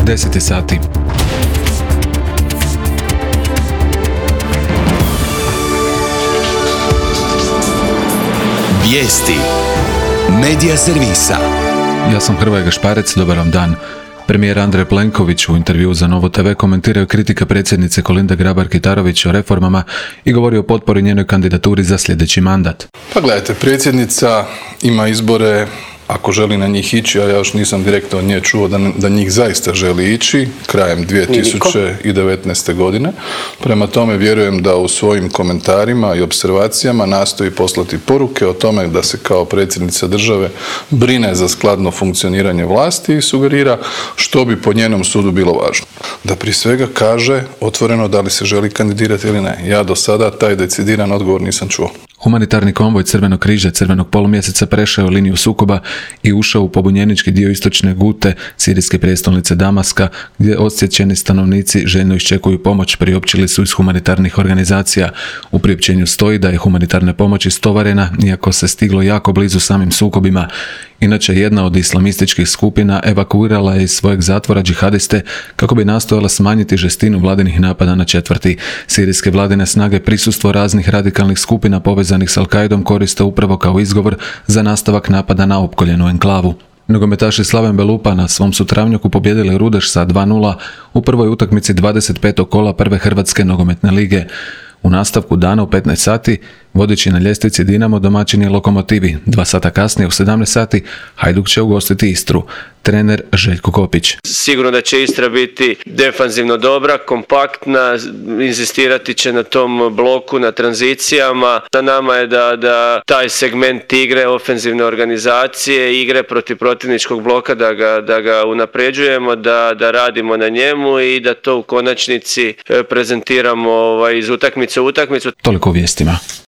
10 je sati. Vijesti Medija servisa. Ja sam Hrvoje Gašparec, dobar vam dan. Premijer Andrej Plenković u intervjuu za Novo TV komentirao kritika predsjednice Kolinde Grabar-Kitarović o reformama i govorio o potpori njenoj kandidaturi za sljedeći mandat. Pa gledajte, predsjednica ima izbore ako želi na njih ići, a ja još nisam direktno od nje čuo da njih zaista želi ići krajem 2019. godine. Prema tome vjerujem da u svojim komentarima i observacijama nastoji poslati poruke o tome da se kao predsjednica države brine za skladno funkcioniranje vlasti i sugerira što bi po njenom sudu bilo važno. Da prije svega kaže otvoreno da li se želi kandidirati ili ne. Ja do sada taj decidiran odgovor nisam čuo. Humanitarni konvoj Crvenog križa Crvenog polumjeseca prešao je liniju sukoba i ušao u pobunjenički dio istočne Gute, sirijske prijestolnice Damaska, gdje odsječeni stanovnici željno iščekuju pomoć, priopćili su iz humanitarnih organizacija. U priopćenju stoji da je humanitarna pomoć istovarena, iako se stiglo jako blizu samim sukobima. Inače, jedna od islamističkih skupina evakuirala je iz svojeg zatvora džihadiste kako bi nastojala smanjiti žestinu vladinih napada na četvrti. Sirijske vladine snage prisustvo raznih radikalnih skupina povezanih s Al-Qaidom koriste upravo kao izgovor za nastavak napada na opkoljenu enklavu. Nogometaši Slaven Belupa na svom su travnjaku pobijedili Rudeš sa 2:0 u prvoj utakmici 25. kola prve Hrvatske nogometne lige. U nastavku dana u 15 sati, vodeći na ljestvici Dinamo domaćin je Lokomotivi. 2 sata kasnije u 17 sati Hajduk će ugostiti Istru. Trener Željko Kopić. Sigurno da će Istra biti defanzivno dobra, kompaktna, inzistirati će na tom bloku, na tranzicijama. Na nama je da taj segment igre, ofenzivne organizacije, igre protiv protivničkog bloka, da ga unapređujemo, da radimo na njemu i da to u konačnici prezentiramo iz utakmice u utakmicu. Toliko u vijestima.